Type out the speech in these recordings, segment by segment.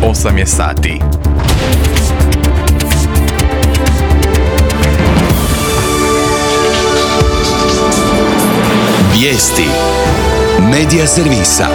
8 je sati. Vijesti Medija servisa.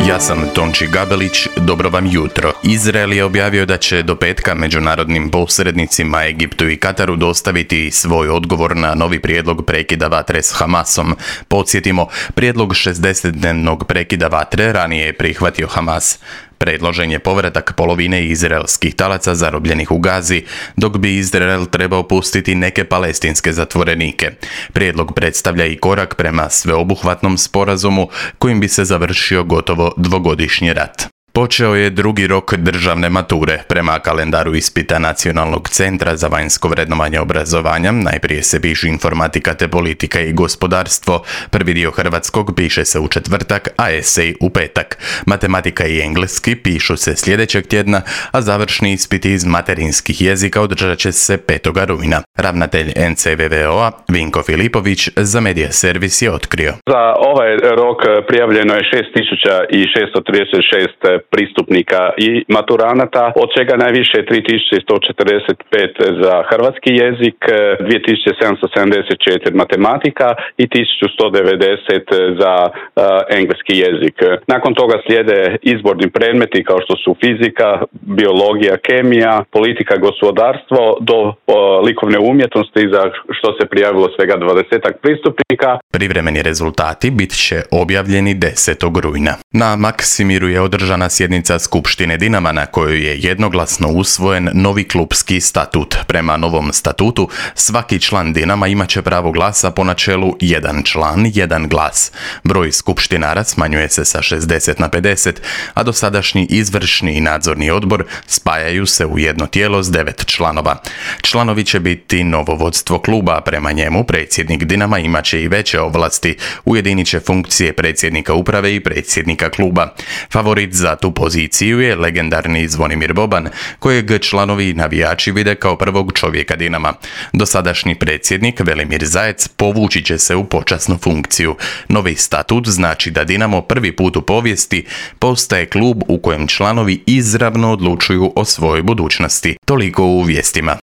Ja sam Tonči Gabelić, dobro vam jutro. Izrael je objavio da će do petka međunarodnim posrednicima Egiptu i Kataru dostaviti svoj odgovor na novi prijedlog prekida vatre s Hamasom. Podsjetimo, prijedlog 60-dnevnog prekida vatre ranije je prihvatio Hamas. Predložen je povratak polovine izraelskih talaca zarobljenih u Gazi, dok bi Izrael trebao pustiti neke palestinske zatvorenike. Prijedlog predstavlja i korak prema sveobuhvatnom sporazumu kojim bi se završio gotovo dvogodišnji rat. Počeo je drugi rok državne mature. Prema kalendaru ispita Nacionalnog centra za vanjsko vrednovanje obrazovanja, najprije se pišu informatika te politika i gospodarstvo. Prvi dio hrvatskog piše se u četvrtak, a esej u petak. Matematika i engleski pišu se sljedećeg tjedna, a završni ispiti iz materinskih jezika održat će se 5. rujna. Ravnatelj NCVVO-a Vinko Filipović za Medija servis je otkrio. Za ovaj rok prijavljeno je 6636 pristupnika i maturanata, od čega najviše 3145 za hrvatski jezik, 2774 matematika i 1190 za engleski jezik. Nakon toga slijede izborni predmeti kao što su fizika, biologija, kemija, politika, gospodarstvo do likovne umjetnosti za što se prijavilo svega 20 pristupnika. Privremeni rezultati bit će objavljeni 10. rujna. Na Maksimiru je održana sjednica Skupštine Dinama na kojoj je jednoglasno usvojen novi klupski statut. Prema novom statutu, svaki član Dinama imat će pravo glasa po načelu jedan član, jedan glas. Broj skupštinara smanjuje se sa 60 na 50, a dosadašnji izvršni i nadzorni odbor spajaju se u jedno tijelo s 9 članova. Članovi će biti novo vodstvo kluba, prema njemu predsjednik Dinama imat će i veće ovlasti, ujedinit će funkcije predsjednika uprave i predsjednika kluba. Favorit za tu poziciju je legendarni Zvonimir Boban, kojeg članovi i navijači vide kao prvog čovjeka Dinama. Dosadašnji predsjednik Velimir Zajec povući će se u počasnu funkciju. Novi statut znači da Dinamo prvi put u povijesti postaje klub u kojem članovi izravno odlučuju o svojoj budućnosti. Toliko u vijestima.